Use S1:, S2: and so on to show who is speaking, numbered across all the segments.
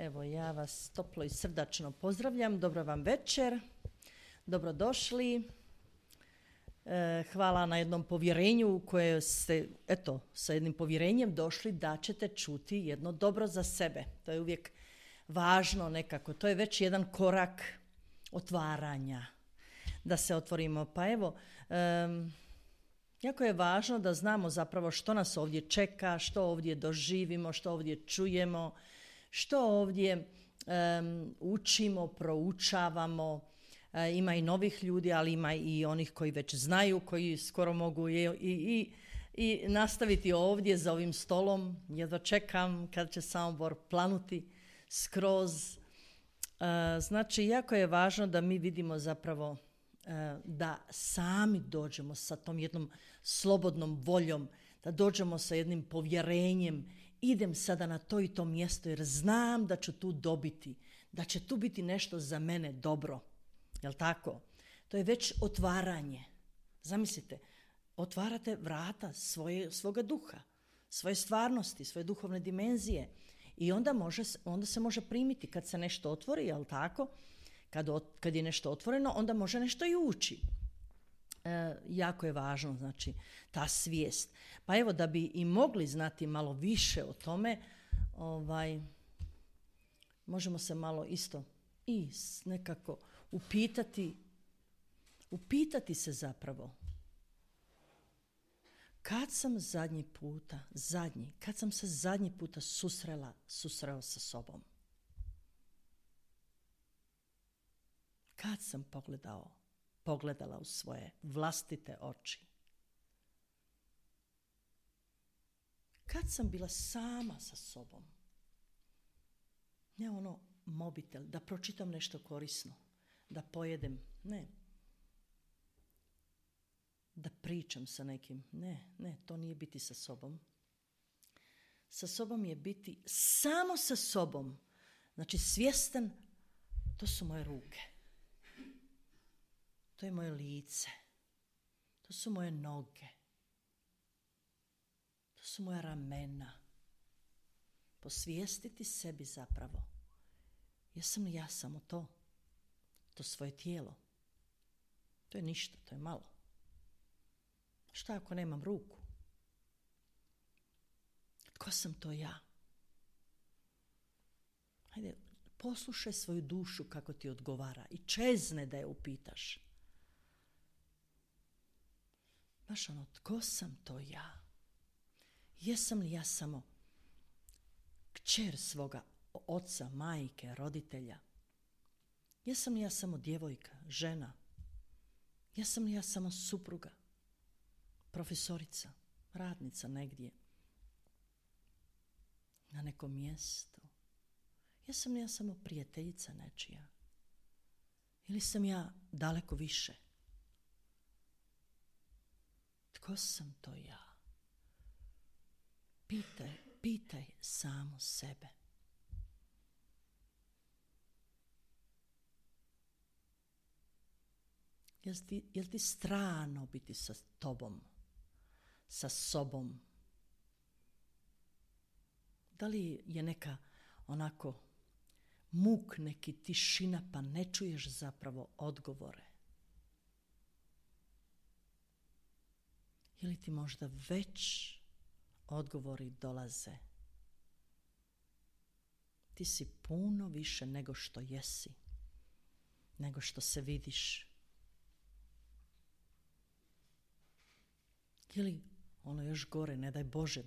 S1: Evo, ja vas toplo i srdačno pozdravljam. Dobro vam večer. Dobrodošli. Hvala na jednom povjerenju koje ste, sa jednim povjerenjem došli da ćete čuti jedno dobro za sebe. To je uvijek važno nekako. To je već jedan korak otvaranja. Da se otvorimo. Pa evo, jako je važno da znamo zapravo što nas ovdje čeka, što ovdje doživimo, što ovdje čujemo, što ovdje učimo, proučavamo. Ima i novih ljudi, ali ima i onih koji već znaju, koji skoro mogu i nastaviti ovdje za ovim stolom. Jedva čekam kad će Samobor planuti skroz. Znači, jako je važno da mi vidimo zapravo da sami dođemo sa tom jednom slobodnom voljom, da dođemo sa jednim povjerenjem. Idem sada na to i to mjesto jer znam da ću tu dobiti, da će tu biti nešto za mene dobro. Jel tako? To je već otvaranje. Zamislite, otvarate vrata svoga duha, svoje stvarnosti, svoje duhovne dimenzije i onda se može primiti kad se nešto otvori, jel tako? Kad je nešto otvoreno, onda može nešto i ući. Jako je važno, znači, ta svijest. Pa evo, da bi i mogli znati malo više o tome, možemo se malo isto i nekako upitati se zapravo. Kad sam se zadnji puta susreo sa sobom? Kad sam pogledala u svoje vlastite oči? Kad sam bila sama sa sobom? Ne mobitel, da pročitam nešto korisno, da pojedem, ne. Da pričam sa nekim, ne, to nije biti sa sobom. Sa sobom je biti samo sa sobom. Znači svjestan, to su moje ruke. To je moje lice. To su moje noge. To su moja ramena. Posvijestiti sebi zapravo. Jesam li ja samo to? To svoje tijelo. To je ništa, to je malo. Šta ako nemam ruku? Tko sam to ja? Hajde, poslušaj svoju dušu kako ti odgovara i čezne da je upitaš. Baš tko sam to ja? Jesam li ja samo kćer svoga oca, majke, roditelja? Jesam li ja samo djevojka, žena? Jesam li ja samo supruga, profesorica, radnica negdje, na nekom mjestu? Jesam li ja samo prijateljica nečija? Ili sam ja daleko više? Tko sam to ja? Pitaj samo sebe. Jel ti strano biti sa tobom, sa sobom? Da li je neka onako muk, neki tišina pa ne čuješ zapravo odgovore? Ili ti možda već odgovori dolaze? Ti si puno više nego što jesi, nego što se vidiš. Ili još gore, ne daj Bože,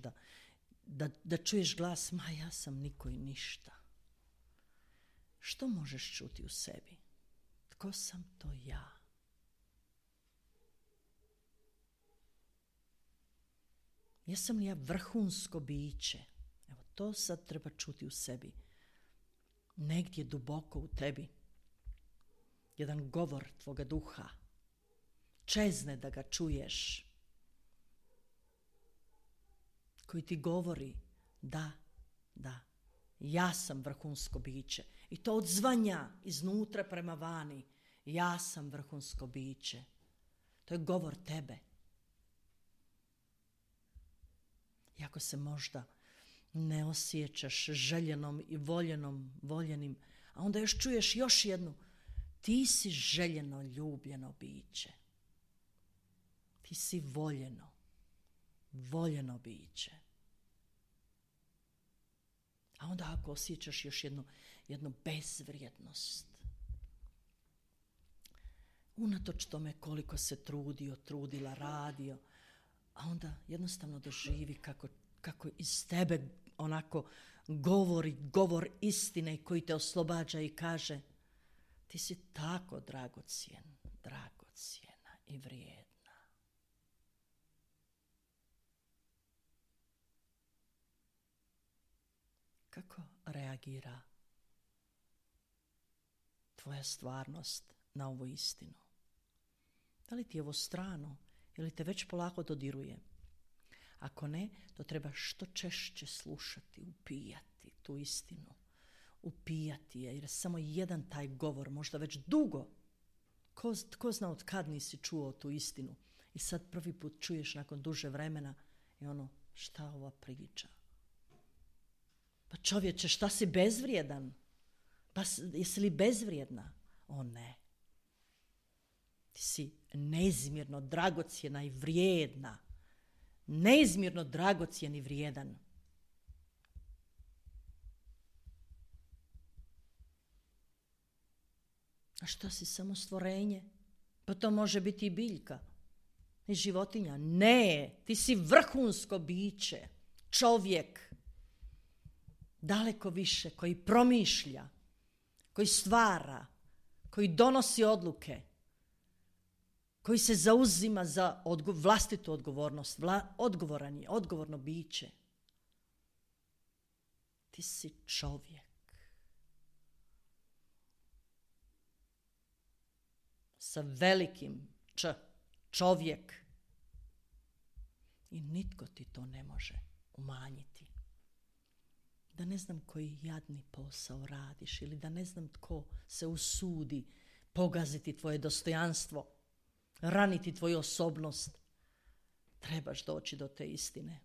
S1: da čuješ glas, ma ja sam niko i ništa. Što možeš čuti u sebi? Tko sam to ja? Jesam li ja vrhunsko biće? Evo, to sad treba čuti u sebi. Negdje duboko u tebi. Jedan govor tvoga duha. Čezne da ga čuješ. Koji ti govori, da, ja sam vrhunsko biće. I to odzvanja iznutra prema vani. Ja sam vrhunsko biće. To je govor tebe. I ako se možda ne osjećaš željenom i voljenim, a onda još čuješ još jednu. Ti si željeno, ljubljeno biće. Ti si voljeno biće. A onda ako osjećaš još jednu bezvrijednost, unatoč tome koliko se trudila, radio, a onda jednostavno doživi kako iz tebe onako govori govor istine koji te oslobađa i kaže ti si tako dragocjena i vrijedna. Kako reagira tvoja stvarnost na ovu istinu? Da li ti je ovo strano ili te već polako dodiruje? Ako ne, to treba što češće slušati, upijati tu istinu. Upijati je, jer samo jedan taj govor, možda već dugo. Ko zna od kad nisi čuo tu istinu? I sad prvi put čuješ nakon duže vremena i šta ova priča? Pa čovječe, šta si bezvrijedan? Pa jesi li bezvrijedna? O ne. Ti si neizmjerno dragocjena i vrijedna. Neizmjerno dragocjen i vrijedan. A šta si, samo stvorenje? Pa to može biti i biljka. I životinja. Ne, ti si vrhunsko biće. Čovjek. Daleko više, koji promišlja, koji stvara, koji donosi odluke, koji se zauzima za vlastitu odgovornost, odgovorno biće. Ti si čovjek. Sa velikim Č, čovjek. I nitko ti to ne može umanjiti. Da ne znam koji jadni posao radiš ili da ne znam tko se usudi pogaziti tvoje dostojanstvo, raniti tvoju osobnost, trebaš doći do te istine.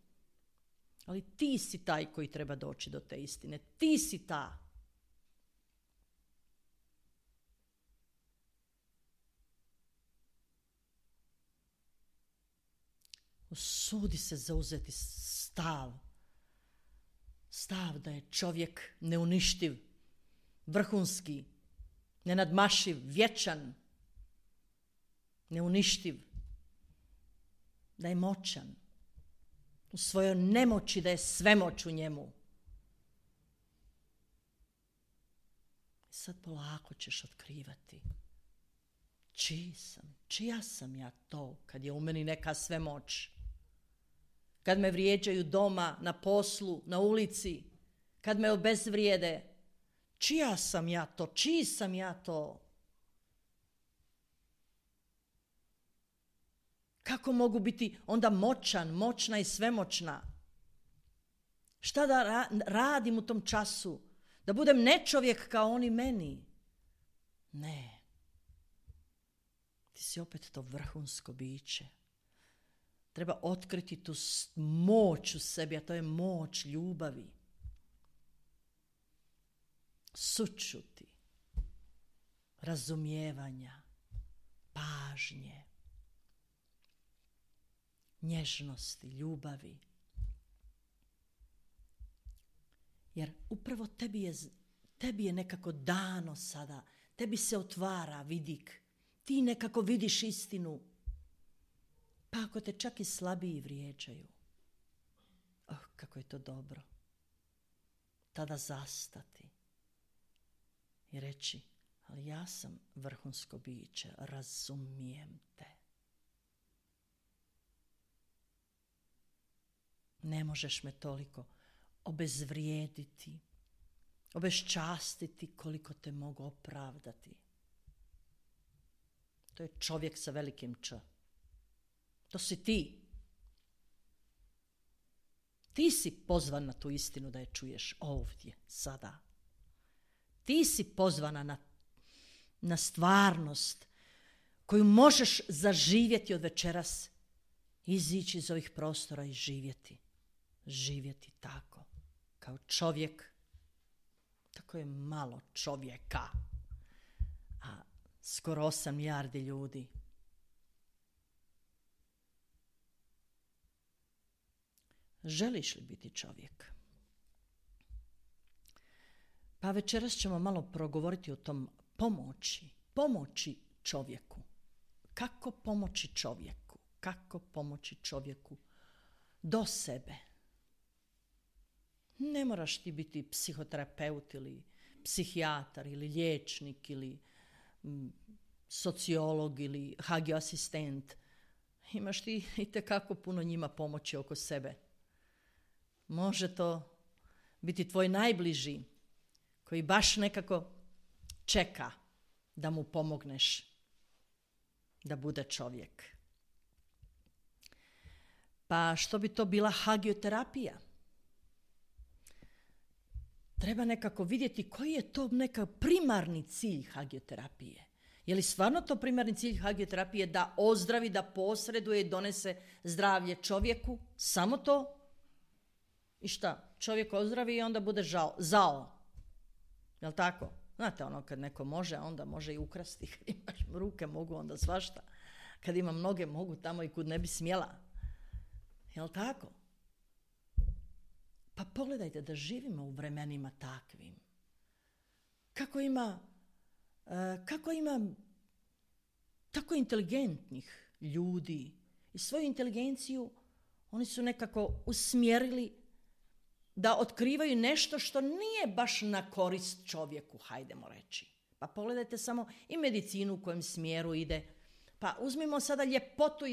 S1: Ali ti si taj koji treba doći do te istine. Ti si ta. Usudi se zauzeti stav da je čovjek neuništiv, vrhunski, nenadmašiv, vječan, neuništiv, da je moćan, u svojoj nemoći da je svemoć u njemu. Sad polako ćeš otkrivati čija sam ja to kad je u meni neka svemoć. Kad me vrijeđaju doma, na poslu, na ulici, kad me obezvrijede, čija sam ja to, čiji sam ja to? Kako mogu biti onda moćna i svemoćna? Šta da radim u tom času? Da budem nečovjek kao oni meni? Ne. Ti si opet to vrhunsko biće. Treba otkriti tu moć u sebi, a to je moć ljubavi. Sućuti, razumijevanja, pažnje, nježnosti, ljubavi. Jer upravo tebi je nekako dano sada, tebi se otvara vidik, ti nekako vidiš istinu. Pa ako te čak i slabiji vrijeđaju, kako je to dobro. Tada zastati i reći, ali ja sam vrhunsko biće, razumijem te. Ne možeš me toliko obezvrijediti, obezčastiti koliko te mogu opravdati. To je čovjek sa velikim Č. To si ti. Ti si pozvan na tu istinu da je čuješ ovdje, sada. Ti si pozvana na stvarnost koju možeš zaživjeti od večeras, izići iz ovih prostora i živjeti. Živjeti tako. kao čovjek, tako je malo čovjeka, a skoro 8 milijardi ljudi. Želiš li biti čovjek? Pa večeras ćemo malo progovoriti o tom pomoći čovjeku. Kako pomoći čovjeku? Kako pomoći čovjeku do sebe? Ne moraš ti biti psihoterapeut ili psihijatar ili liječnik ili sociolog ili HGO asistent. Imaš ti itekako puno njima pomoći oko sebe. Može to biti tvoj najbliži koji baš nekako čeka da mu pomogneš da bude čovjek. Pa što bi to bila hagioterapija? Treba nekako vidjeti koji je to neka primarni cilj hagioterapije. Je li stvarno to primarni cilj hagioterapije da ozdravi, da posreduje i donese zdravlje čovjeku? Samo to? I šta? Čovjek ozdravi i onda bude zao. Jel tako? Znate ono kad neko može, onda može i ukrasti. Kad imaš ruke mogu onda svašta. Kad imam noge mogu tamo i kud ne bi smjela. Jel tako? Pa pogledajte da živimo u vremenima takvim. Kako ima tako inteligentnih ljudi i svoju inteligenciju oni su nekako usmjerili da otkrivaju nešto što nije baš na korist čovjeku, hajdemo reći. Pa pogledajte samo i medicinu u kojem smjeru ide. Pa uzmimo sada ljepotu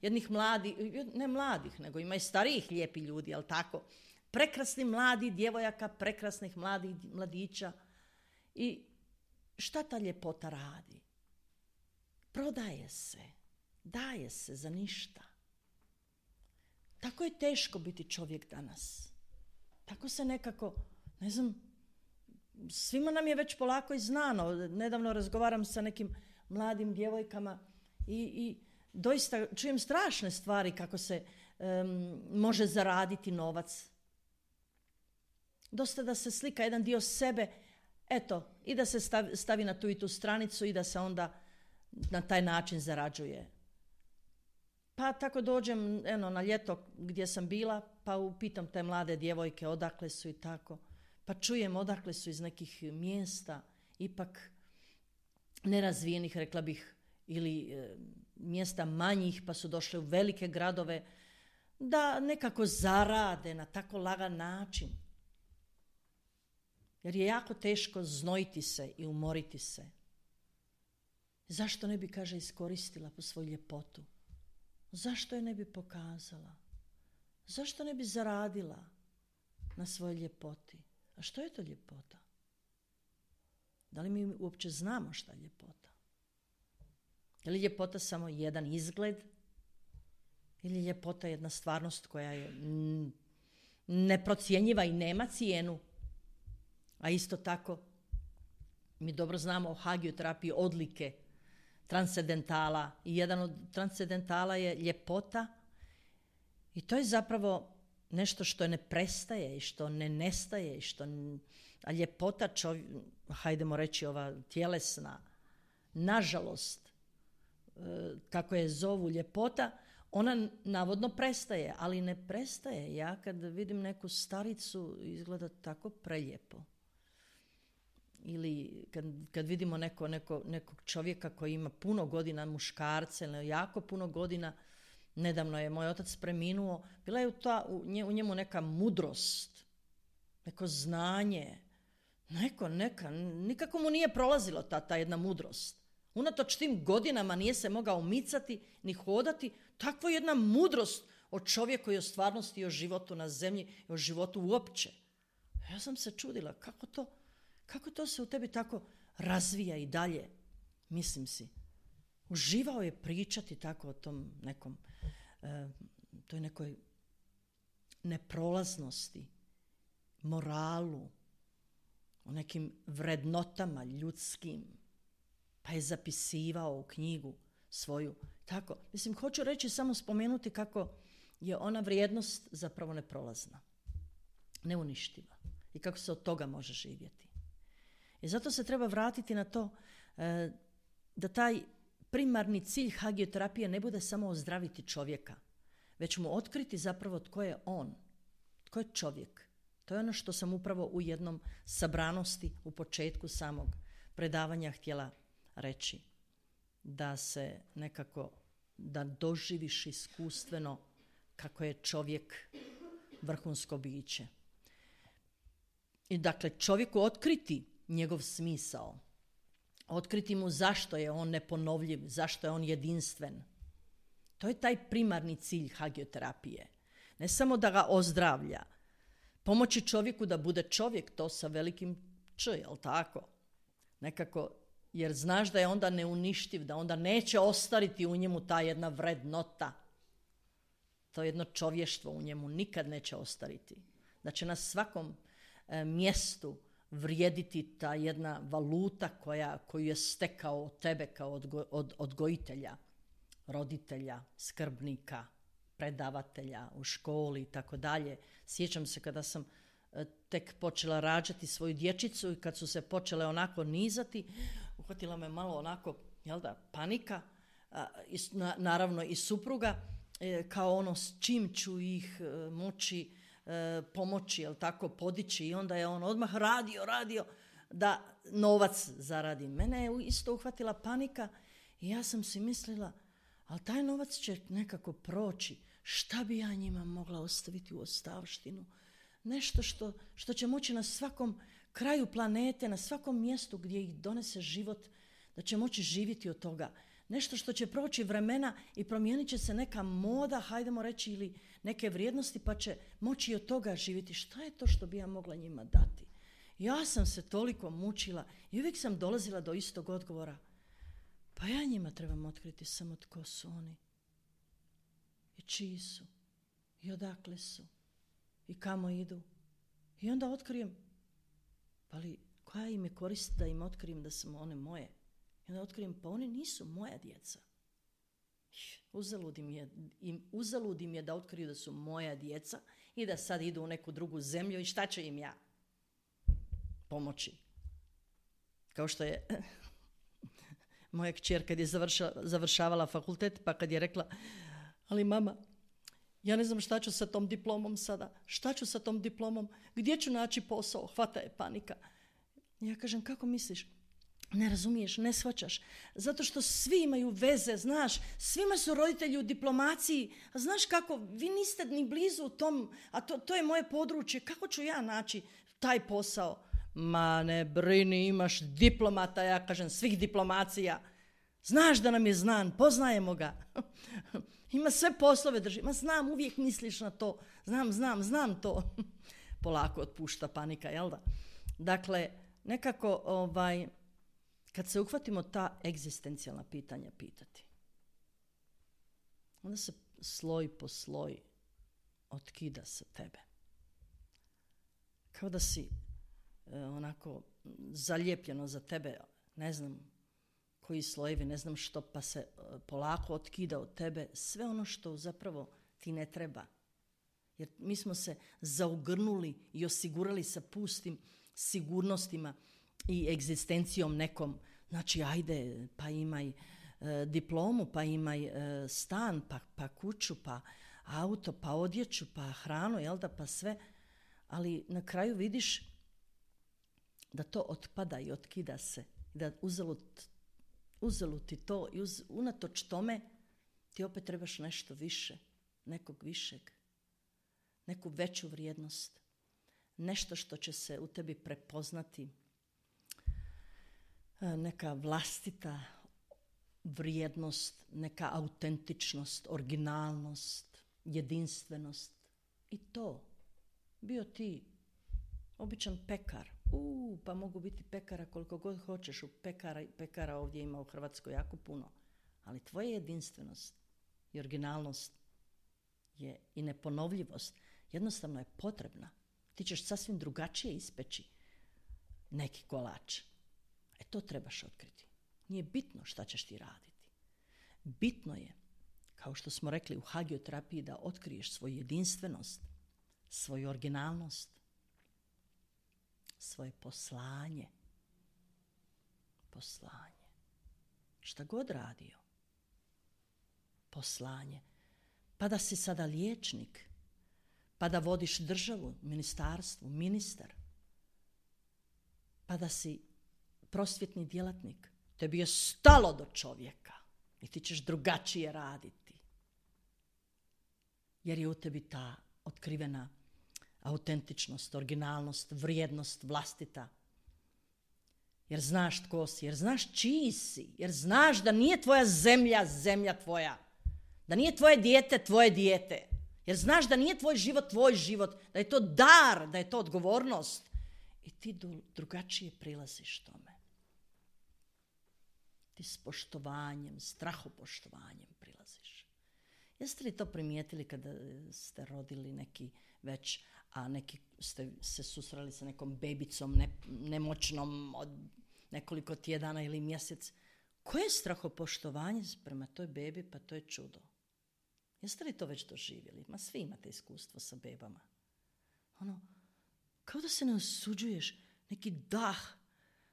S1: jednih mladih, ne mladih, nego ima i starijih lijepi ljudi, jel tako? Prekrasni mladi djevojaka, prekrasnih mladih mladića. I šta ta ljepota radi? Prodaje se, daje se za ništa. Tako je teško biti čovjek danas. Tako se nekako, ne znam, svima nam je već polako i znano. Nedavno razgovaram sa nekim mladim djevojkama i doista čujem strašne stvari kako se može zaraditi novac. Dosta da se slika jedan dio sebe, eto, i da se stavi na tu i tu stranicu i da se onda na taj način zarađuje. Pa tako dođem na ljeto gdje sam bila, pa upitam te mlade djevojke odakle su i tako. Pa čujem odakle su iz nekih mjesta, ipak nerazvijenih, rekla bih, ili mjesta manjih, pa su došle u velike gradove, da nekako zarade na tako lagan način. Jer je jako teško znojiti se i umoriti se. Zašto ne bi, kaže, iskoristila po svoju ljepotu? Zašto je ne bi pokazala? Zašto ne bi zaradila na svojoj ljepoti? A što je to ljepota? Da li mi uopće znamo šta je ljepota? Je li ljepota samo jedan izgled? Ili je ljepota jedna stvarnost koja je neprocjenjiva i nema cijenu? A isto tako, mi dobro znamo o hagioterapiji odlike transcendentala i jedan od transcendentala je ljepota i to je zapravo nešto što ne prestaje i što ne nestaje a ljepota, hajdemo reći ova tjelesna, nažalost, kako je zovu ljepota, ona navodno prestaje, ali ne prestaje. Ja kad vidim neku staricu izgleda tako prelijepo. Ili kad vidimo nekog čovjeka koji ima puno godina, muškarce, jako puno godina, nedavno je moj otac preminuo, bila je u njemu neka mudrost, neko znanje, nikako mu nije prolazilo ta jedna mudrost. Unatoč tim godinama nije se mogao micati ni hodati, takva jedna mudrost o čovjeku i o stvarnosti i o životu na zemlji i o životu uopće. Ja sam se čudila kako to se u tebi tako razvija i dalje, mislim si. Uživao je pričati tako o tom nekom, toj nekoj neprolaznosti, moralu, o nekim vrednotama ljudskim, pa je zapisivao u knjigu svoju. Tako, mislim, hoću reći samo spomenuti kako je ona vrijednost zapravo neprolazna. neuništiva i kako se od toga može živjeti. I zato se treba vratiti na to da taj primarni cilj hagioterapije ne bude samo ozdraviti čovjeka, već mu otkriti zapravo tko je on, tko je čovjek. To je ono što sam upravo u jednom sabranosti u početku samog predavanja htjela reći. Da se nekako, da doživiš iskustveno kako je čovjek vrhunsko biće. I dakle, čovjeku otkriti njegov smisao, otkriti mu zašto je on neponovljiv, zašto je on jedinstven. To je taj primarni cilj hagioterapije. Ne samo da ga ozdravlja, pomoći čovjeku da bude čovjek, to sa velikim č, jel tako? Nekako, jer znaš da je onda neuništiv, da onda neće ostariti u njemu ta jedna vrednota. To jedno čovještvo u njemu nikad neće ostariti. Da će na svakom mjestu vrijediti ta jedna valuta koju je stekao od tebe kao odgojitelja, roditelja, skrbnika, predavatelja u školi i tako dalje. Sjećam se kada sam tek počela rađati svoju dječicu i kad su se počele onako nizati, uhvatila me malo onako, panika, naravno i supruga, kao ono s čim ću ih moći pomoći, podići, i onda je on odmah radio da novac zaradi. Mene je isto uhvatila panika i ja sam si mislila, ali taj novac će nekako proći. Šta bi ja njima mogla ostaviti u ostavštinu? Nešto što će moći na svakom kraju planete, na svakom mjestu gdje ih donese život, da će moći živjeti od toga. Nešto što će proći vremena i promijenit će se neka moda, hajdemo reći, ili neke vrijednosti, pa će moći od toga živjeti. Šta je to što bi ja mogla njima dati? Ja sam se toliko mučila i uvijek sam dolazila do istog odgovora. Pa ja njima trebam otkriti samo tko su oni. I čiji su. I odakle su. I kamo idu. I onda otkrijem. Ali koja im je korist da im otkrijem da su one moje? I onda otkrijem, pa oni nisu moja djeca. Uzalud im je da otkriju da su moja djeca i da sad idu u neku drugu zemlju i šta će im ja pomoći. Kao što je moja kćer kad je završavala fakultet, pa kad je rekla, ali mama, ja ne znam šta ću sa tom diplomom sada, šta ću sa tom diplomom, gdje ću naći posao, hvata je panika. Ja kažem, kako misliš? Ne razumiješ, ne shvaćaš. Zato što svi imaju veze, znaš, svima su roditelji u diplomaciji, a znaš kako, vi niste ni blizu u tom, a to je moje područje, kako ću ja naći taj posao? Ma ne brini, imaš diplomata, ja kažem, svih diplomacija. Znaš da nam je znan, poznajemo ga. Ima sve poslove drži. Ma znam, uvijek misliš na to. Znam to. Polako otpušta panika, jel da? Dakle, nekako, kad se uhvatimo ta egzistencijalna pitanja pitati, onda se sloj po sloj otkida sa tebe. Kao da si onako zalijepljeno za tebe, ne znam koji slojevi, ne znam što, pa se polako otkida od tebe sve ono što zapravo ti ne treba. Jer mi smo se zaugrnuli i osigurali sa pustim sigurnostima i egzistencijom nekom. Znači, ajde, pa imaj diplomu, pa imaj stan, pa kuću, pa auto, pa odjeću, pa hranu, jel da, pa sve. Ali na kraju vidiš da to otpada i otkida se. Da uzalud ti to i unatoč tome ti opet trebaš nešto više, nekog višeg, neku veću vrijednost, nešto što će se u tebi prepoznati, neka vlastita vrijednost, neka autentičnost, originalnost, jedinstvenost. I to, bio ti običan pekar, pa mogu biti pekara koliko god hoćeš, pekara ovdje ima u Hrvatskoj jako puno, ali tvoja jedinstvenost i originalnost je i neponovljivost jednostavno je potrebna. Ti ćeš sasvim drugačije ispeći neki kolač. To trebaš otkriti. Nije bitno šta ćeš ti raditi. Bitno je, kao što smo rekli u hagioterapiji, da otkriješ svoju jedinstvenost, svoju originalnost, svoje poslanje. Poslanje. Šta god radio. Poslanje. Pa da si sada liječnik, pa da vodiš državu, ministarstvo, ministar, pa da si prosvjetni djelatnik. Tebi je stalo do čovjeka i ti ćeš drugačije raditi. Jer je u tebi ta otkrivena autentičnost, originalnost, vrijednost vlastita. Jer znaš tko si, jer znaš čiji si, jer znaš da nije tvoja zemlja, zemlja tvoja. Da nije tvoje dijete. Jer znaš da nije tvoj život, da je to dar, da je to odgovornost. I ti drugačije prilaziš tome. Ti s poštovanjem, strahopoštovanjem prilaziš. Jeste li to primijetili kada ste rodili neki već, a neki ste se susreli sa nekom bebicom nemoćnom od nekoliko tjedana ili mjesec? Koje je strahopoštovanje prema toj bebi? Pa to je čudo. Jeste li to već doživjeli? Ma svi imate iskustvo sa bebama. Kao da se ne osuđuješ, neki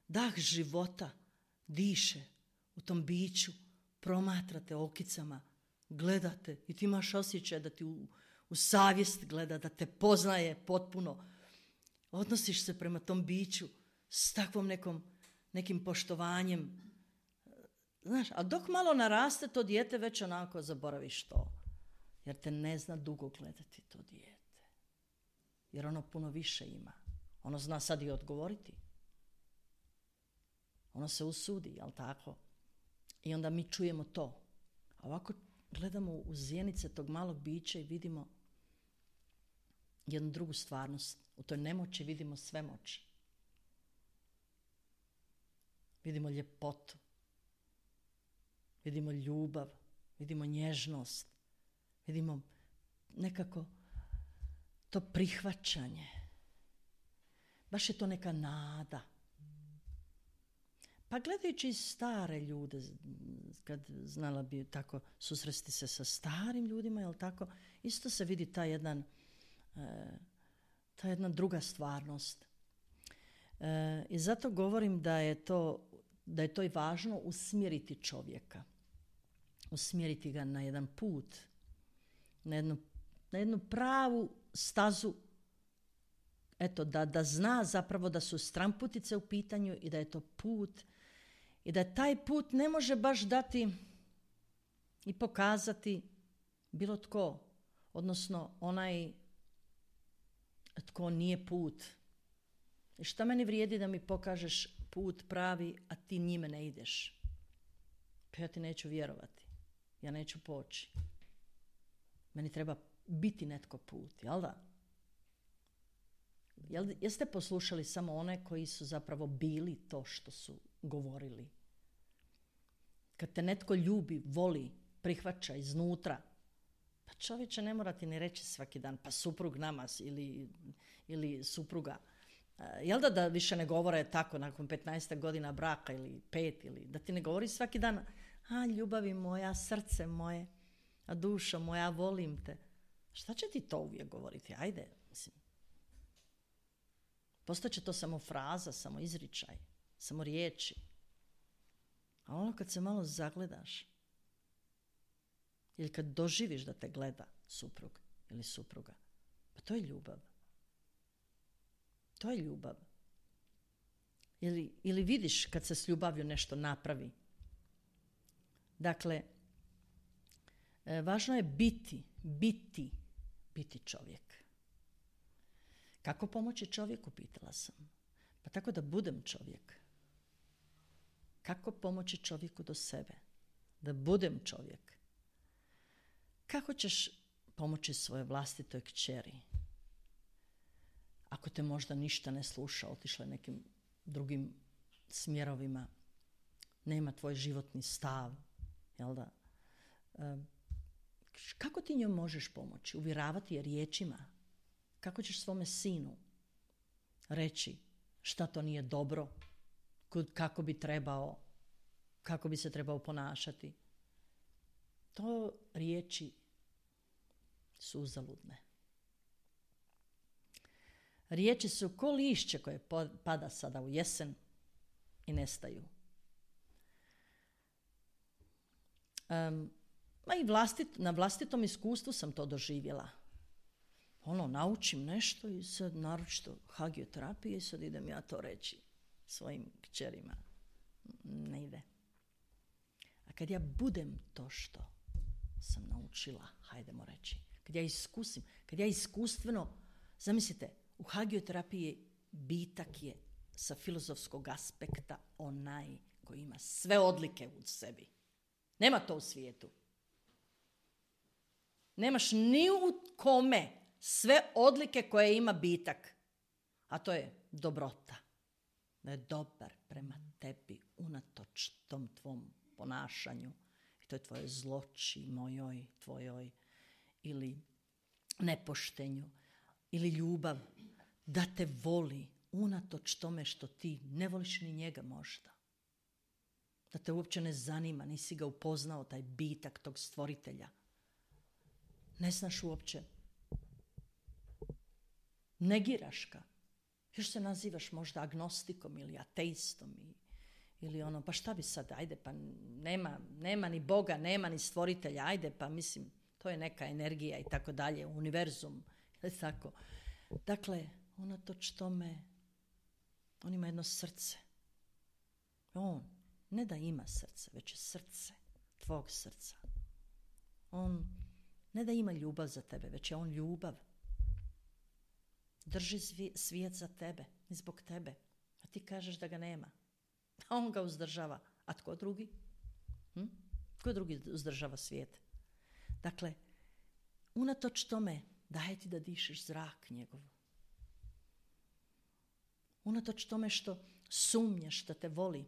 S1: dah života diše u tom biću, promatrate okicama, gledate i ti imaš osjećaj da ti u savjest gleda, da te poznaje potpuno. Odnosiš se prema tom biću s takvom nekim poštovanjem. Znaš, a dok malo naraste to dijete, već onako zaboraviš to. Jer te ne zna dugo gledati to dijete. Jer ono puno više ima. Ono zna sad i odgovoriti. Ono se usudi, jel tako? I onda mi čujemo to. A ovako gledamo u zjenice tog malog bića i vidimo jednu drugu stvarnost. U toj nemoći vidimo svemoć. Vidimo ljepotu. Vidimo ljubav. Vidimo nježnost. Vidimo nekako to prihvaćanje. Baš je to neka nada. Pa gledajući stare ljude, kad znala bi tako susresti se sa starim ljudima, jel tako, isto se vidi ta jedna druga stvarnost. I zato govorim da je to i važno usmjeriti čovjeka. Usmjeriti ga na jedan put, na jednu pravu stazu, eto, da zna zapravo da su stramputice u pitanju i da je to put i da taj put ne može baš dati i pokazati bilo tko, odnosno onaj tko nije put. I šta meni vrijedi da mi pokažeš put pravi, a ti njime ne ideš? Pa ja ti neću vjerovati. Ja neću poći. Meni treba biti netko put, jel da? Jeste poslušali samo one koji su zapravo bili to što su govorili? Kad te netko ljubi, voli, prihvaća iznutra, pa čovječe ne mora ti ni reći svaki dan, pa suprug nama ili supruga. Jel da više ne govore tako nakon 15 godina braka ili 5, ili da ti ne govori svaki dan, a ljubavi moja, srce moje, a dušo moja, volim te. Šta će ti to uvijek govoriti? Ajde, mislim. Postaće to samo fraza, samo izričaj, samo riječi. A ono kad se malo zagledaš, ili kad doživiš da te gleda suprug ili supruga, pa to je ljubav. To je ljubav. Ili vidiš kad se s ljubavlju nešto napravi. Dakle, važno je biti čovjek. Kako pomoći čovjeku, pitala sam. Pa tako da budem čovjek. Kako pomoći čovjeku do sebe? Da budem čovjek. Kako ćeš pomoći svoje vlastitoj kćeri? Ako te možda ništa ne sluša, otišla je nekim drugim smjerovima, nema tvoj životni stav, jel da? Kako ti njoj možeš pomoći? Uvjeravati je riječima. Kako ćeš svome sinu reći šta to nije dobro, kako bi trebao, kako bi se trebao ponašati? To riječi su uzaludne. Riječi su ko lišće koje pada sada u jesen i nestaju. I na vlastitom iskustvu sam to doživjela. Naučim nešto i sad naročito hagioterapije i sad idem ja to reći svojim kćerima. Ne ide. A kad ja budem to što sam naučila, hajdemo reći, kad ja iskustveno, zamislite, u hagioterapiji bitak je sa filozofskog aspekta onaj koji ima sve odlike u sebi. Nema to u svijetu. Nemaš ni u kome sve odlike koje ima bitak. A to je dobrota. Da je dobar prema tebi unatoč tom tvom ponašanju. I to je tvoje zloči, mojoj, tvojoj, ili nepoštenju, ili ljubav. Da te voli unatoč tome što ti ne voliš ni njega možda. Da te uopće ne zanima, nisi ga upoznao, taj bitak tog stvoritelja. Ne znaš uopće. Negiraš ga. Još se nazivaš možda agnostikom ili ateistom ili pa šta bi sad, ajde pa nema ni Boga, nema ni stvoritelja, ajde pa mislim, to je neka energija i tako dalje, univerzum, tako. Dakle, unatoč tome, on ima jedno srce. On ne da ima srce, već je srce tvog srca. On ne da ima ljubav za tebe, već je on ljubav. Drži svijet za tebe i zbog tebe. A ti kažeš da ga nema. A on ga uzdržava. A tko drugi? Tko drugi uzdržava svijet? Dakle, unatoč tome daje ti da dišeš zrak njegov. Unatoč tome što sumnjaš da te voli.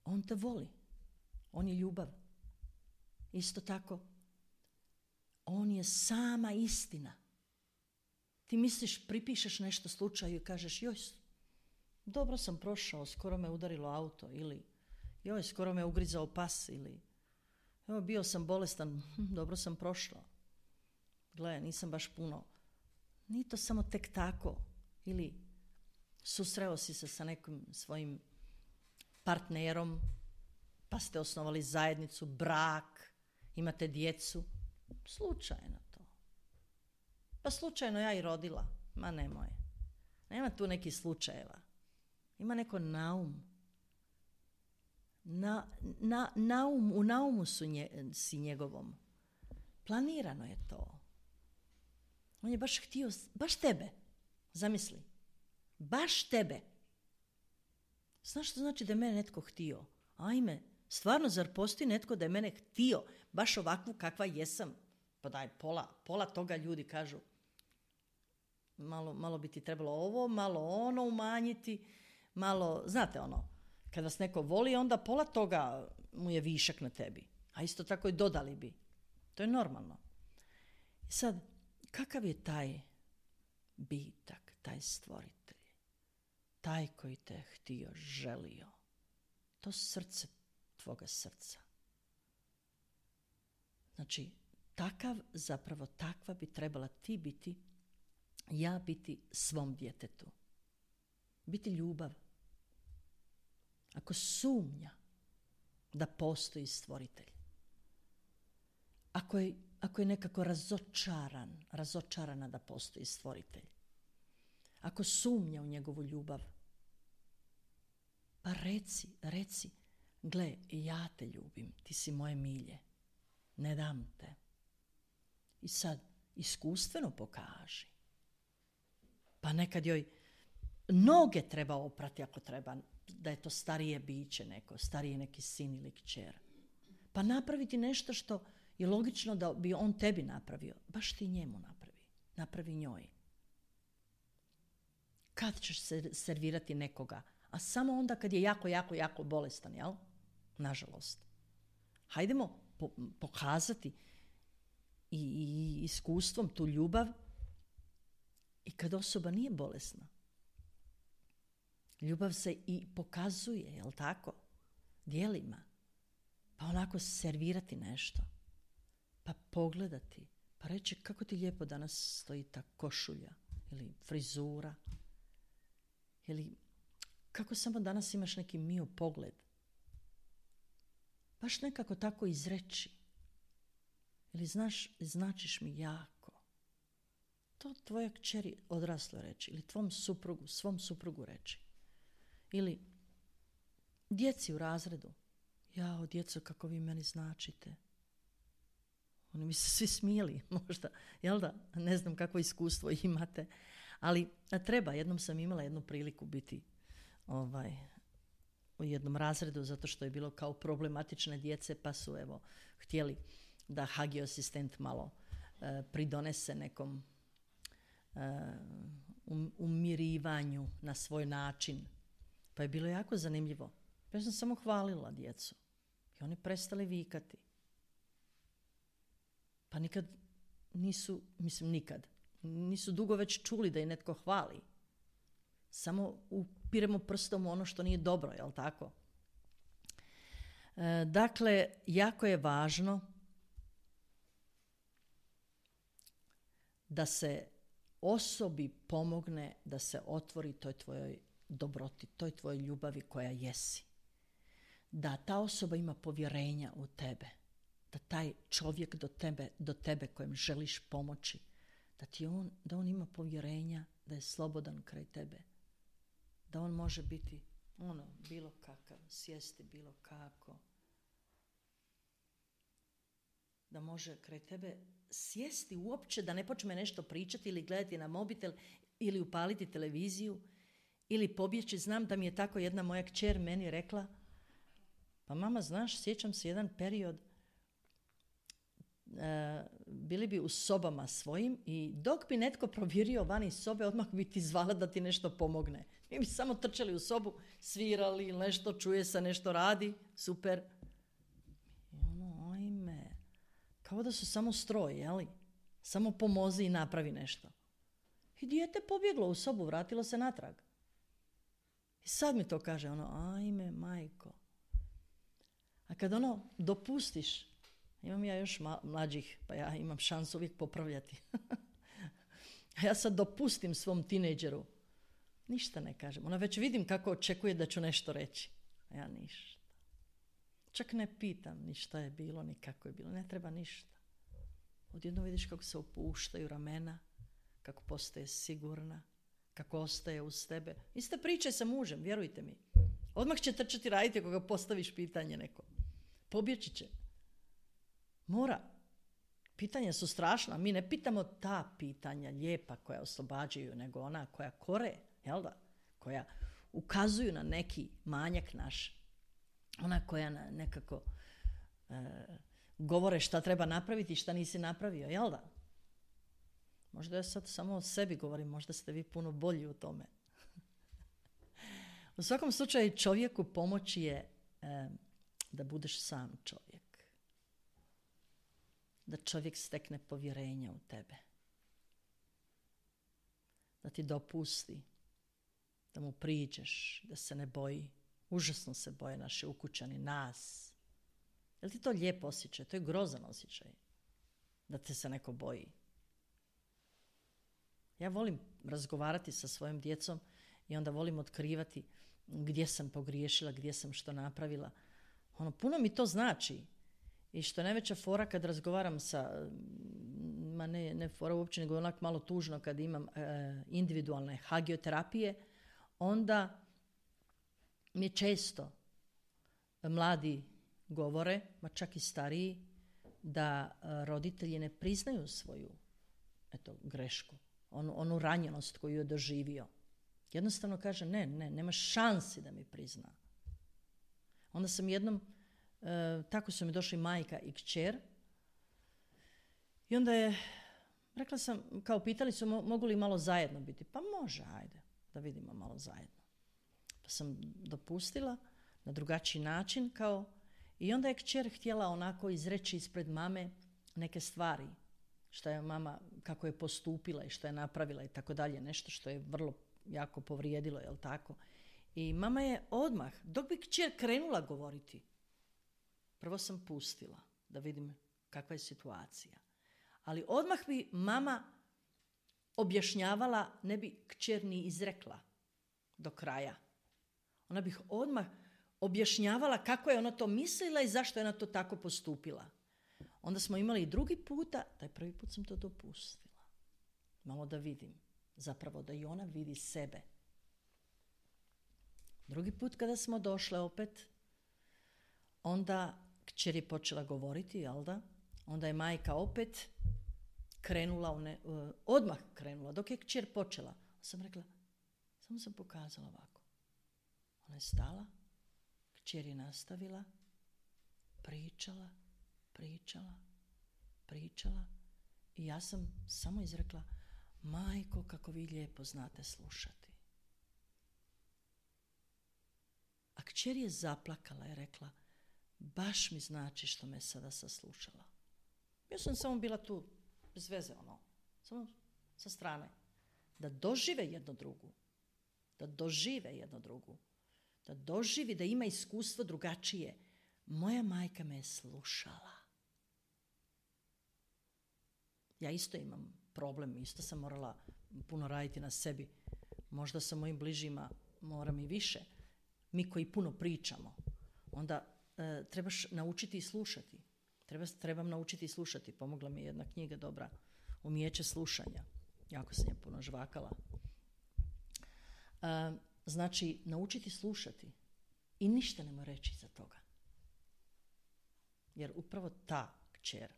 S1: On te voli. On je ljubav. Isto tako, on je sama istina. Ti misliš, pripišeš nešto slučaju i kažeš, joj, dobro sam prošao, skoro me udarilo auto, ili joj, skoro me ugrizao pas, ili evo, bio sam bolestan, dobro sam prošla. Gle, nisam baš puno. Nije to samo tek tako. Ili susreo si se sa nekim svojim partnerom, pa ste osnovali zajednicu, brak, imate djecu. Slučajno to. Pa slučajno ja i rodila. Ma nemoj. Nema tu nekih slučajeva. Ima neko naum. U naumu si njegovom. Planirano je to. On je baš htio, baš tebe. Zamisli. Baš tebe. Znaš što znači da je mene netko htio? Ajme, stvarno, zar postoji netko da je mene htio baš ovakvu kakva jesam? Pa daj, pola toga ljudi kažu. Malo bi ti trebalo ovo, malo ono umanjiti, malo, znate ono, kad vas neko voli, onda pola toga mu je višak na tebi. A isto tako i dodali bi. To je normalno. I sad, kakav je taj bitak, taj stvoritelj, taj koji te htio, želio? To srce tvoga srca. Znači, takva bi trebala ti biti, ja biti svom djetetu. Biti ljubav. Ako sumnja da postoji stvoritelj, ako je nekako razočarana da postoji stvoritelj, ako sumnja u njegovu ljubav, pa reci, gle, ja te ljubim, ti si moje milje, ne dam te. I sad, iskustveno pokaži. Pa nekad joj noge treba oprati ako treba, da je to starije biće neko, stariji neki sin ili kćer. Pa napraviti nešto što je logično da bi on tebi napravio. Baš ti njemu napravi njoj. Kad ćeš servirati nekoga? A samo onda kad je jako bolestan, jel? Nažalost. Hajdemo pokazati i iskustvom tu ljubav i kad osoba nije bolesna. Ljubav se i pokazuje, jel tako? Djelima. Pa onako servirati nešto. Pa pogledati, Pa reći kako ti lijepo danas stoji ta košulja ili frizura ili kako samo danas imaš neki mio pogled. Baš nekako tako izreći. Ili značiš mi jako. To tvoja kćeri odraslo reći. Ili svom suprugu reći. Ili djeci u razredu. Jao, djeco, kako vi meni značite. Oni mi se svi smijeli, možda. Jel da? Ne znam kakvo iskustvo imate. Ali treba. Jednom sam imala jednu priliku biti u jednom razredu, zato što je bilo kao problematične djece, pa su htjeli da hagi asistent malo pridonese nekom umirivanju na svoj način. Pa je bilo jako zanimljivo. Ja sam samo hvalila djecu. I oni prestali vikati. Pa nikad nisu dugo već čuli da je netko hvali. Samo upiremo prstom u ono što nije dobro, jel tako? Dakle, jako je važno da se osobi pomogne da se otvori toj tvojoj dobroti, toj tvojoj ljubavi koja jesi. Da ta osoba ima povjerenja u tebe. Da taj čovjek do tebe kojem želiš pomoći, da on ima povjerenja, da je slobodan kraj tebe. Da on može biti bilo kakav, sjesti bilo kako. Da može kraj tebe sjesti uopće, da ne počne nešto pričati ili gledati na mobitel ili upaliti televiziju ili pobjeći. Znam da mi je tako jedna moja kćer meni rekla, pa mama, znaš, sjećam se jedan period, bili bi u sobama svojim i dok bi netko provjerio van iz sobe, odmah bi ti zvala da ti nešto pomogne. Mi bi samo trčali u sobu, svirali ili nešto, čuje se, nešto radi, super. I ajme, kao da su samo stroj, jeli? Samo pomozi i napravi nešto. I dijete pobjeglo u sobu, vratilo se natrag. I sad mi to kaže, ajme, majko. A kad dopustiš, imam ja još mlađih, pa ja imam šansu uvijek popravljati. A ja sad dopustim svom tinejdžeru. Ništa ne kažem. Ona već vidim kako očekuje da ću nešto reći. A ja ništa. Čak ne pitam ni šta je bilo, ni kako je bilo. Ne treba ništa. Odjednom vidiš kako se opuštaju ramena, kako postaje sigurna, kako ostaje uz tebe. Iste priče sa mužem, vjerujte mi. Odmah će trčati raditi ako ga postaviš pitanje neko. Pobjeći će. Mora. Pitanja su strašna. Mi ne pitamo ta pitanja lijepa koja oslobađaju, nego ona koja kore, jel da? Koja ukazuju na neki manjak naš. Ona koja nekako govore šta treba napraviti i šta nisi napravio, jel da? Možda ja sad samo o sebi govorim, možda ste vi puno bolji u tome. U svakom slučaju čovjeku pomoći je da budeš sam čovjek. Da čovjek stekne povjerenja u tebe. Da ti dopusti, da mu priđeš, da se ne boji. Užasno se boje naši ukućani, nas. Je li ti to lijep osjećaj? To je grozan osjećaj. Da te se neko boji. Ja volim razgovarati sa svojom djecom i onda volim otkrivati gdje sam pogriješila, gdje sam što napravila. Puno mi to znači. I što je najveća fora kad razgovaram sa, ne fora uopće, nego onak malo tužno kad imam individualne hagioterapije, onda mi često mladi govore, ma čak i stariji, da roditelji ne priznaju svoju grešku, onu ranjenost koju je doživio. Jednostavno kaže, nema šansi da mi prizna. Onda sam jednom, tako su mi došli majka i kćer, i onda je, rekla sam, kao pitali su mogu li malo zajedno biti. Pa može, ajde, da vidimo malo zajedno. Pa sam dopustila na drugačiji način, i onda je kćer htjela onako izreći ispred mame neke stvari, što je mama, kako je postupila i što je napravila i tako dalje, nešto što je vrlo jako povrijedilo, jel tako? I mama je odmah, dok bi kćer krenula govoriti, prvo sam pustila da vidim kakva je situacija. Ali odmah bi mama objašnjavala, ne bi kćer ni izrekla do kraja. Ona bi odmah objašnjavala kako je ona to mislila i zašto je ona to tako postupila. Onda smo imali i drugi puta, taj prvi put sam to dopustila. Malo da vidim. Zapravo da i ona vidi sebe. Drugi put kada smo došle opet, onda kćer je počela govoriti, jel da? Onda je majka opet krenula, odmah krenula, dok je kćer počela. Sam rekla, samo sam pokazala ovako. Ona je stala, kćer je nastavila, pričala i ja sam samo izrekla, majko, kako vi lijepo znate slušati. A kćer je zaplakala i rekla, baš mi znači što me sada saslušala. Ja sam samo bila tu, bez veze, samo sa strane. Da dožive jedno drugu. Da doživi, da ima iskustvo drugačije. Moja majka me je slušala. Ja isto imam problem, isto sam morala puno raditi na sebi. Možda sa mojim bližima moram i više. Mi koji puno pričamo, onda trebaš naučiti i slušati. Trebam naučiti i slušati. Pomogla mi je jedna knjiga dobra, Umijeće slušanja. Jako sam je puno žvakala. Znači, naučiti slušati i ništa nema reći za toga. Jer upravo ta kćer,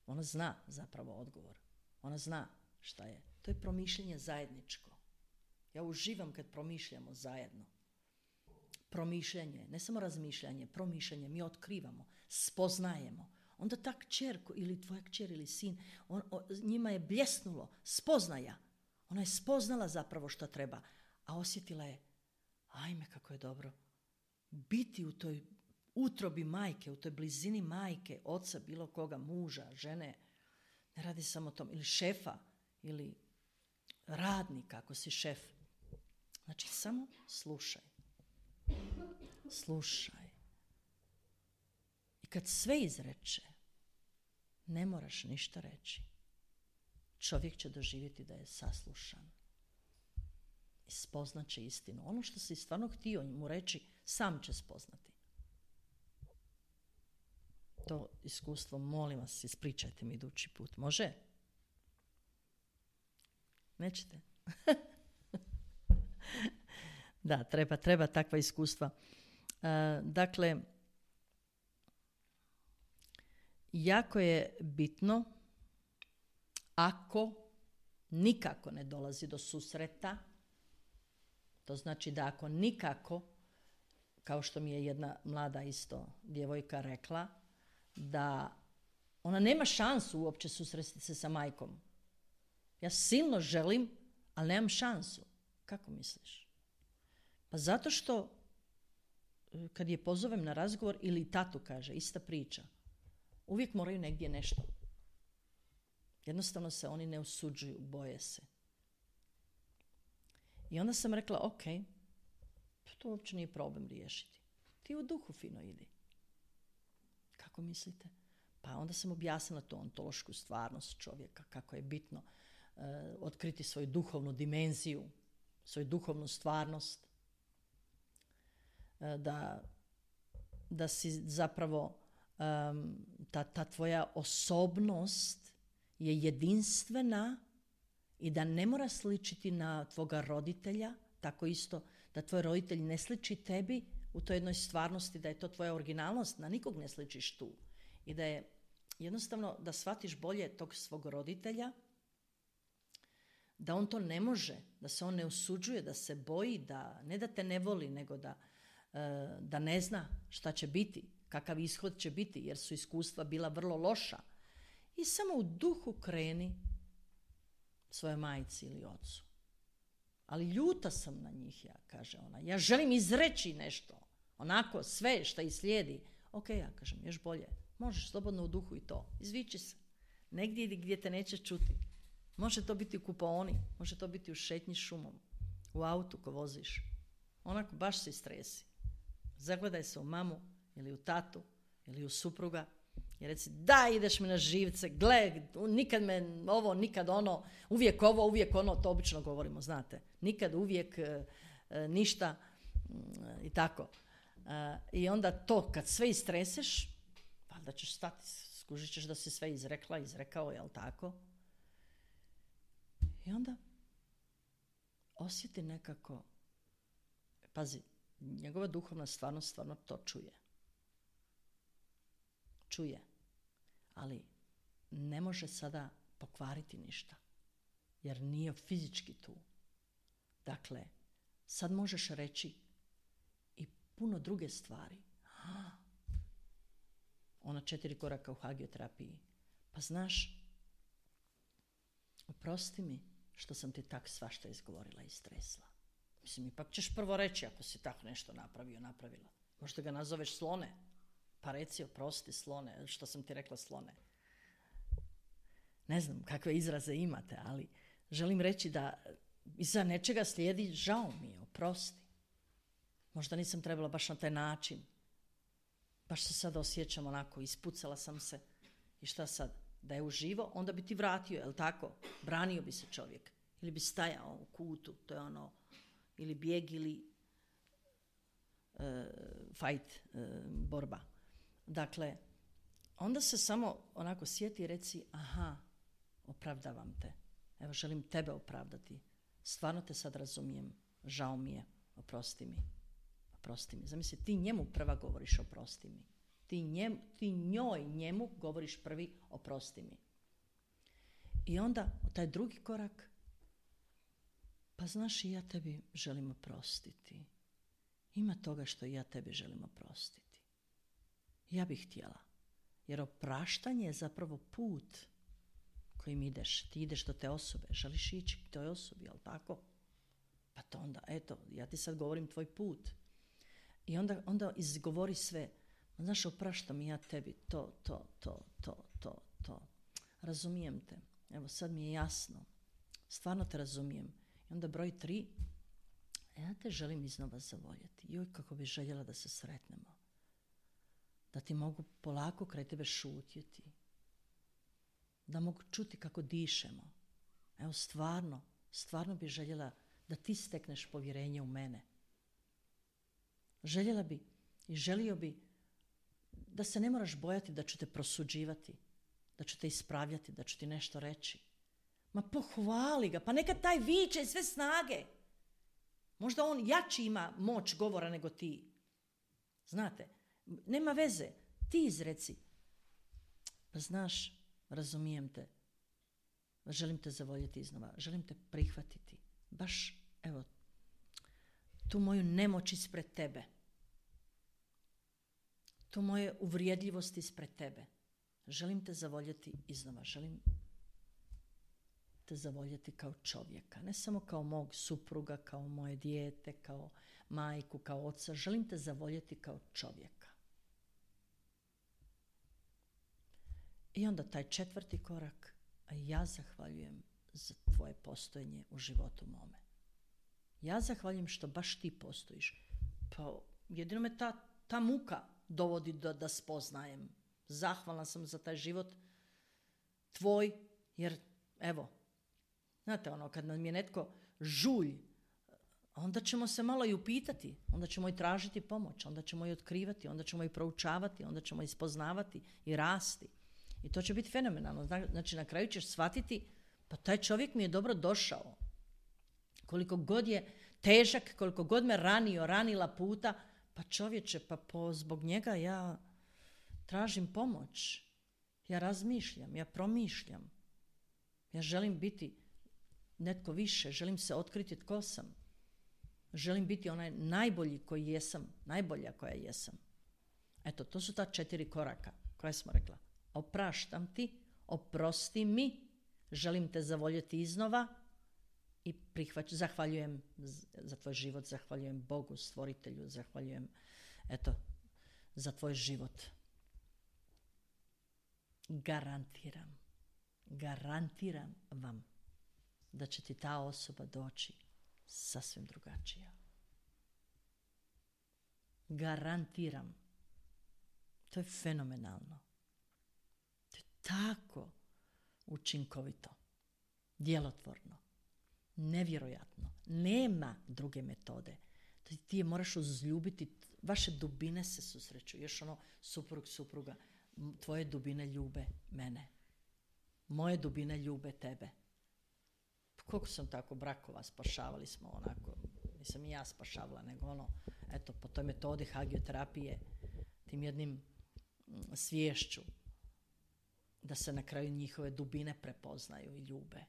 S1: ona zna zapravo odgovor. Ona zna šta je. To je promišljanje zajedničko. Ja uživam kad promišljamo zajedno. Promišljanje, ne samo razmišljanje, promišljanje, mi otkrivamo, spoznajemo. Onda ta kćer ili tvoja kćer ili sin, njima je bljesnulo spoznaja. Ona je spoznala zapravo što treba, a osjetila je, ajme kako je dobro biti u toj utrobi majke, u toj blizini majke, oca, bilo koga, muža, žene. Ne radi samo o tom, ili šefa, ili radnika ako si šef. Znači samo slušaj. Slušaj. I kad sve izreče, ne moraš ništa reći. Čovjek će doživjeti da je saslušan. I spoznat će istinu. Ono što si stvarno htio mu reći, sam će spoznati. To iskustvo, molim vas, ispričajte mi idući put. Može? Nećete? Da, treba takva iskustva. Dakle, jako je bitno, ako nikako ne dolazi do susreta, to znači da ako nikako, kao što mi je jedna mlada isto djevojka rekla, da ona nema šansu uopće susresti se sa majkom. Ja silno želim, ali nemam šansu. Kako misliš? Pa zato što kad je pozovem na razgovor ili tatu kaže, ista priča, uvijek moraju negdje nešto. Jednostavno se oni ne usuđuju, boje se. I onda sam rekla, ok, to uopće nije problem riješiti. Ti u duhu fino idi. Kako mislite? Pa onda sam objasnila tu ontološku stvarnost čovjeka, kako je bitno otkriti svoju duhovnu dimenziju, svoju duhovnu stvarnost, da si zapravo ta tvoja osobnost je jedinstvena i da ne mora sličiti na tvoga roditelja, tako isto da tvoj roditelj ne sliči tebi u toj jednoj stvarnosti, da je to tvoja originalnost, na nikog ne sličiš tu. I da je jednostavno da shvatiš bolje tog svog roditelja, da on to ne može, da se on ne usuđuje, da se boji, da ne da te ne voli, nego da ne zna šta će biti, kakav ishod će biti, jer su iskustva bila vrlo loša. I samo u duhu kreni svojoj majci ili ocu. Ali ljuta sam na njih, ja, kaže ona. Ja želim izreći nešto. Onako, sve što ih slijedi. Ok, ja kažem, još bolje. Možeš slobodno u duhu i to. Izviči se. Negdje gdje te neće čuti. Može to biti u kupaoni, može to biti u šetnji šumom, u autu ko voziš. Onako, baš se istresi. Zagledaj se u mamu ili u tatu ili u supruga I reci, da, ideš mi na živce, gle, nikad me ovo, nikad ono, uvijek ovo, uvijek ono, to obično govorimo, znate. Nikad, uvijek, ništa i tako. I onda to, kad sve istreseš, valjda ćeš stati, skužit ćeš da si sve izrekao, jel tako? I onda osjeti nekako, pazi, njegova duhovna stvarno to čuje. Čuje, ali ne može sada pokvariti ništa, jer nije fizički tu. Dakle, sad možeš reći i puno druge stvari. Ona 4 koraka u hagioterapiji. Pa znaš, oprosti mi što sam ti tak svašta izgovorila i stresla. Mislim, ipak ćeš prvo reći ako si tako nešto napravila. Možda ga nazoveš slone. Pa reci, oprosti slone, što sam ti rekla slone. Ne znam kakve izraze imate, ali želim reći da iza nečega slijedi žao mi je, oprosti. Možda nisam trebala baš na taj način. Baš se sad osjećam onako, ispucala sam se. I šta sad? Da je uživo, onda bi ti vratio, jel tako? Branio bi se čovjek. Ili bi stajao u kutu, to je ono, ili bijeg ili fight, borba. Dakle, onda se samo onako sjeti i reci, aha, opravdavam te. Evo, želim tebe opravdati. Stvarno te sad razumijem. Žao mi je. Oprosti mi. Zamisli, ti njemu prva govoriš oprosti mi. Ti njemu govoriš prvi oprosti mi. I onda, taj drugi korak, pa znaš, i ja tebi želim oprostiti. Ima toga što i ja tebi želim oprostiti. Ja bih htjela. Jer opraštanje je zapravo put kojim ideš. Ti ideš do te osobe. Želiš ići k toj osobi, jel tako? Pa to onda, eto, ja ti sad govorim tvoj put. I onda izgovori sve. Znaš, opraštam i ja tebi to. Razumijem te. Evo, sad mi je jasno. Stvarno te razumijem. I onda broj 3. Ja te želim iznova zavoljeti. Joj, kako bi željela da se sretnemo. Da ti mogu polako kraj tebe šutjeti. Da mogu čuti kako dišemo. Evo, stvarno bi željela da ti stekneš povjerenje u mene. Željela bi i želio bi da se ne moraš bojati da ću te prosuđivati, da ću te ispravljati, da ću ti nešto reći. Ma pohvali ga, pa neka taj viče sve snage. Možda on jači ima moć govora nego ti. Znate, nema veze, ti izreci. Pa znaš, razumijem te, želim te zavoljeti iznova, želim te prihvatiti. Baš, evo, tu moju nemoć ispred tebe. Tu moje uvrijedljivost ispred tebe. Želim te zavoljeti iznova, želim te zavoljeti kao čovjeka, ne samo kao mog supruga, kao moje dijete, kao majku, kao oca. Želim te zavoljeti kao čovjeka. I onda taj 4. korak, a ja zahvaljujem za tvoje postojanje u životu mome. Ja zahvaljujem što baš ti postojiš. Pa jedino me ta muka dovodi da spoznajem. Zahvalna sam za taj život tvoj, jer evo, znate ono, kad nam je netko žulj, onda ćemo se malo i upitati, onda ćemo i tražiti pomoć, onda ćemo i otkrivati, onda ćemo i proučavati, onda ćemo i spoznavati i rasti. I to će biti fenomenalno. Znači, na kraju ćeš shvatiti, pa taj čovjek mi je dobro došao. Koliko god je težak, koliko god me ranila puta, pa čovječe, pa zbog njega ja tražim pomoć. Ja razmišljam, ja promišljam. Ja želim biti netko više, želim se otkriti tko sam. Želim biti onaj najbolji koji jesam, najbolja koja jesam. Eto, to su ta 4 koraka koja smo rekla. Opraštam ti, oprosti mi, želim te zavoljeti iznova i zahvaljujem za tvoj život, zahvaljujem Bogu, stvoritelju, zahvaljujem za tvoj život. Garantiram vam da će ti ta osoba doći sasvim drugačija. Garantiram. To je fenomenalno. tako učinkovito, djelotvorno, nevjerojatno. Nema druge metode. Ti je moraš uzljubiti, vaše dubine se susreću. Još supruga, tvoje dubine ljube mene. Moje dubine ljube tebe. Koliko sam tako brakova spašavali smo onako, nisam i ja spašavala, nego po toj metodi hagioterapije, tim jednim sviješću, da se na kraju njihove dubine prepoznaju i ljube.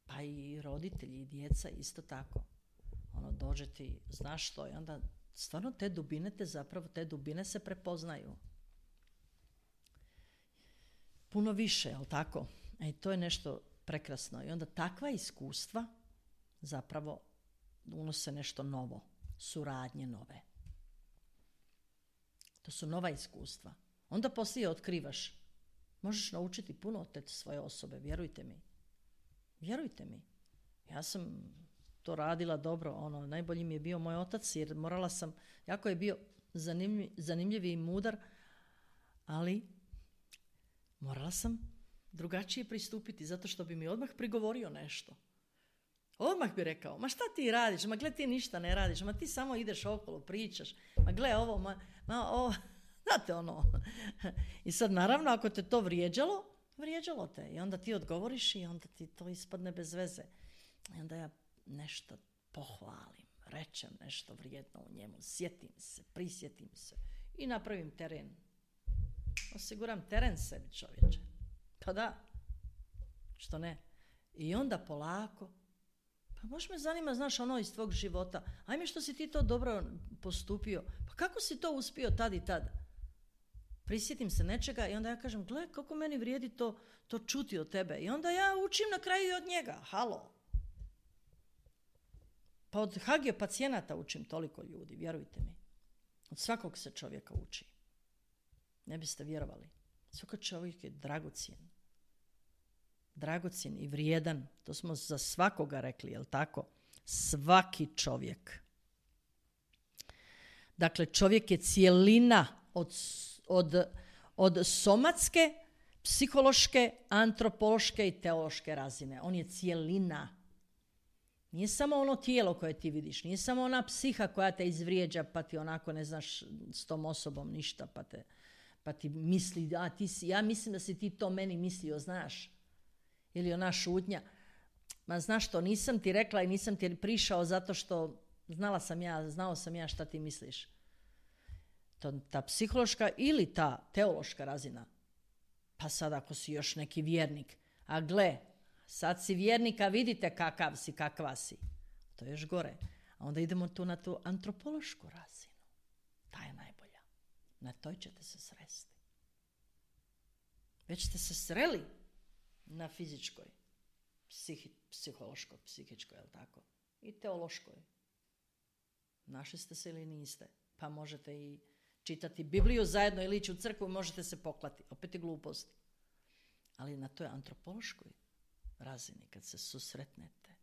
S1: Pa i roditelji i djeca isto tako. Dođe ti, znaš što, i onda stvarno te dubine se prepoznaju. Puno više, jel tako? I to je nešto prekrasno. I onda takva iskustva zapravo unose nešto novo, suradnje nove. To su nova iskustva. Onda poslije otkrivaš. Možeš naučiti puno od te svoje osobe, vjerujte mi. Vjerujte mi. Ja sam to radila dobro. Najbolji mi je bio moj otac, jer morala sam, jako je bio zanimljiv i mudar, ali morala sam drugačije pristupiti, zato što bi mi odmah prigovorio nešto. Odmah bi rekao, ma šta ti radiš, ma gle ti ništa ne radiš, ma ti samo ideš okolo, pričaš, ma gle ovo, ma ovo, znate I sad naravno ako te to vrijeđalo te i onda ti odgovoriš i onda ti to ispadne bez veze. I onda ja nešto pohvalim, rečem nešto vrijedno u njemu, prisjetim se i napravim teren. Osiguram teren sebi, čovječe. Pa da, što ne. I onda polako, pa možda me zanima, znaš, iz tvog života, ajme što si ti to dobro postupio, pa kako si to uspio tad i tad? Prisjetim se nečega i onda ja kažem, gle, kako meni vrijedi to čuti od tebe. I onda ja učim na kraju i od njega, halo. Pa od hagio pacijenata učim toliko ljudi, vjerujte mi. Od svakog se čovjeka uči. Ne biste vjerovali. Svaki čovjek je dragocjen i vrijedan. To smo za svakoga rekli, jel tako? Svaki čovjek. Dakle, čovjek je cijelina od somatske, psihološke, antropološke i teološke razine. On je cijelina. Nije samo ono tijelo koje ti vidiš, nije samo ona psiha koja te izvrijeđa pa ti onako ne znaš s tom osobom ništa pa ti misli, ja mislim da si ti to meni mislio, znaš. Ili ona šutnja. Ma znaš što, nisam ti rekla i nisam ti prišao zato što znao sam ja šta ti misliš. Ta psihološka ili ta teološka razina. Pa sad ako si još neki vjernik, a gle, sad si vjernik, a vidite kakav si, kakva si. To je još gore. A onda idemo tu na tu antropološku razinu. Ta je najbolja. Na toj ćete se sresti. Već ste se sreli na fizičkoj, psihološkoj, psihičkoj, jel tako? I teološkoj. Našli ste se ili niste? Pa možete i čitati Bibliju zajedno ili ići u crkvu, možete se poklati. Opet je glupost. Ali na toj antropološkoj razini, kad se susretnete,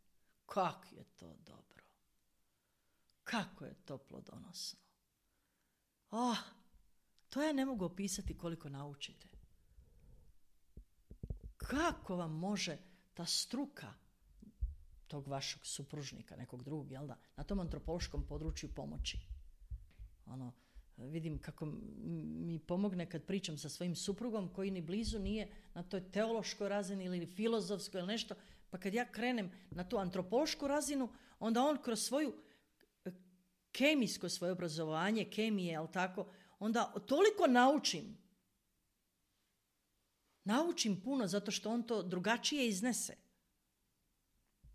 S1: kako je to dobro. Kako je to plodonosno. To ja ne mogu opisati koliko naučite. Kako vam može ta struka tog vašeg supružnika, nekog drugog, jel da, na tom antropološkom području pomoći. Vidim kako mi pomogne kad pričam sa svojim suprugom koji ni blizu nije na toj teološkoj razini ili filozofskoj ili nešto, pa kad ja krenem na tu antropološku razinu, onda on kroz svoju kemijsko svoje obrazovanje, kemije, jel tako, onda toliko naučim puno zato što on to drugačije iznese.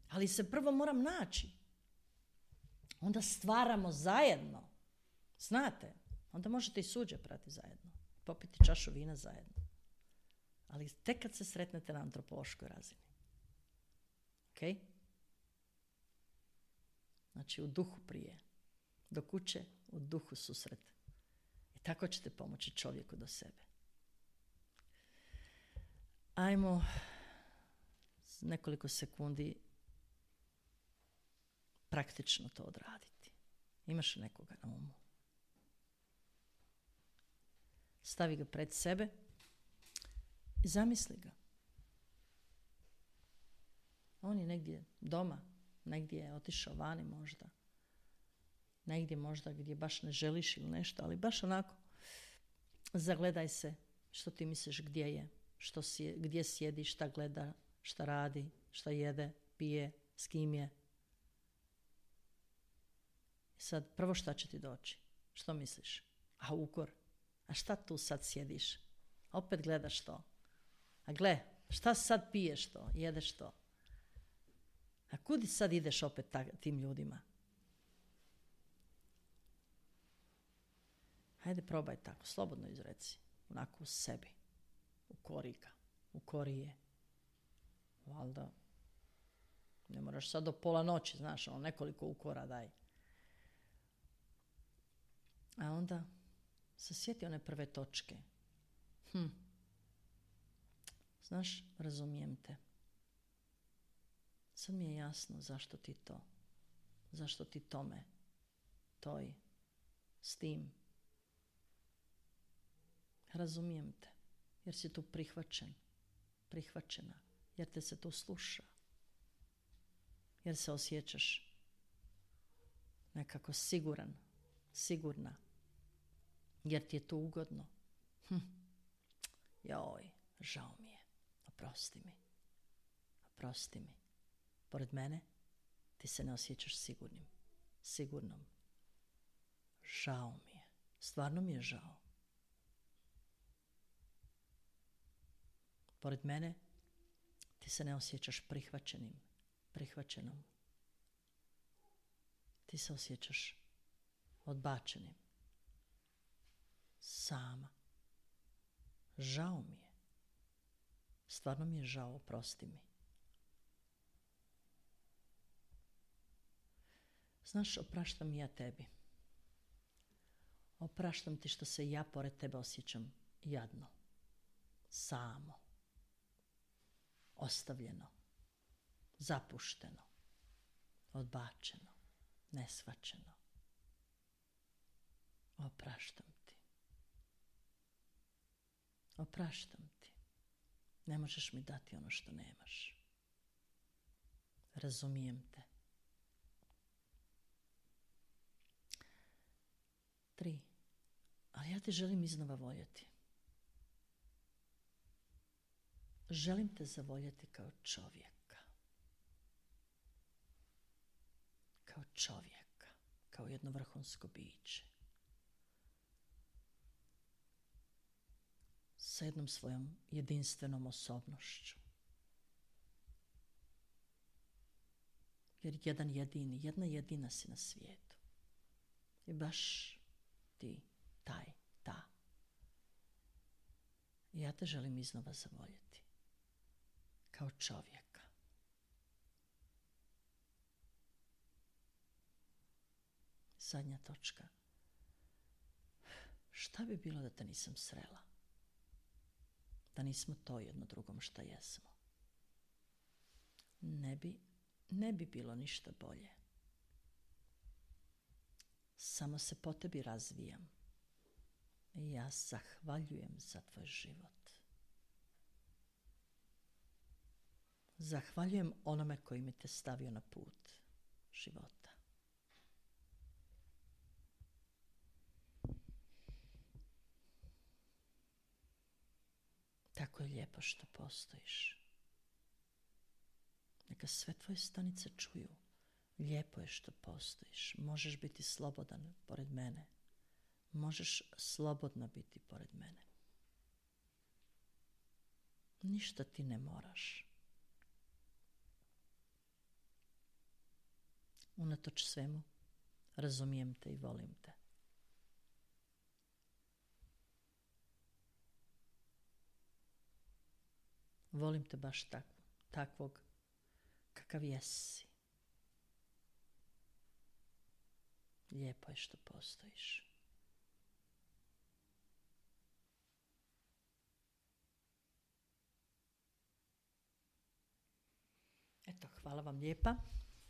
S1: Ali se prvo moram naći. Onda stvaramo zajedno. Znate, onda možete i suđe prati zajedno. Popiti čašu vina zajedno. Ali tek kad se sretnete na antropološkoj razini. Ok? Znači u duhu prije. Do kuće u duhu susret. I tako ćete pomoći čovjeku do sebe. Ajmo nekoliko sekundi praktično to odraditi. Imaš nekoga na umu? Stavi ga pred sebe I zamisli ga. On je negdje doma, negdje je otišao vani možda. Negdje možda gdje baš ne želiš ili nešto, ali baš onako zagledaj se što ti misliš gdje je, gdje sjedi, šta gleda, šta radi, šta jede, pije, s kim je. I sad prvo šta će ti doći? Što misliš? A ukor? A šta tu sad sjediš? A opet gledaš to. A gle, šta sad piješ to, jedeš to? A kudi sad ideš opet tim ljudima? Hajde probaj tako, slobodno izreci. Onako u sebi. U korije. Valjda. Ne moraš sad do pola noći, znaš, nekoliko ukora daj. A onda se sjeti one prve točke. Znaš, razumijem te. Sad mi je jasno zašto ti to. Zašto ti tome. Toj. S tim. Razumijem te. Jer si tu prihvaćen. Prihvaćena. Jer te se tu sluša. Jer se osjećaš nekako siguran. Sigurna. Jer ti je to ugodno. Joj, žao mi je. Oprosti mi. Oprosti mi. Pored mene ti se ne osjećaš sigurnim. Sigurnom. Žao mi je. Stvarno mi je žao. Pored mene ti se ne osjećaš prihvaćenim. Prihvaćenom. Ti se osjećaš odbačenim. Sama. Žao mi je. Stvarno mi je žao, oprosti mi. Znaš, opraštam ja tebi. Opraštam ti što se ja pored tebe osjećam jadno. Samo. Ostavljeno. Zapušteno. Odbačeno. Neshvaćeno. Opraštam ti. Opraštam ti. Ne možeš mi dati ono što nemaš. Razumijem te. 3. Ali ja te želim iznova voljeti. Želim te zavoljeti kao čovjeka. Kao čovjeka. Kao jedno vrhunsko biće. Sa jednom svojom jedinstvenom osobnošću. Jer jedna jedina si na svijetu. I baš ti, ta. I ja te želim iznova zavoljeti. Kao čovjeka. Zadnja točka. Šta bi bilo da te nisam srela? Da nismo to jedno drugom šta jesmo. Ne bi bilo ništa bolje. Samo se po tebi razvijam. I ja zahvaljujem za tvoj život. Zahvaljujem onome koji mi te stavio na put života. Tako je lijepo što postojiš. Neka sve tvoje stanice čuju. Lijepo je što postojiš. Možeš biti slobodan pored mene. Možeš slobodno biti pored mene. Ništa ti ne moraš. Unatoč svemu, razumijem te i volim te. Volim te baš takvog kakav jesi. Lijepo je što postojiš. Eto, hvala vam lijepa.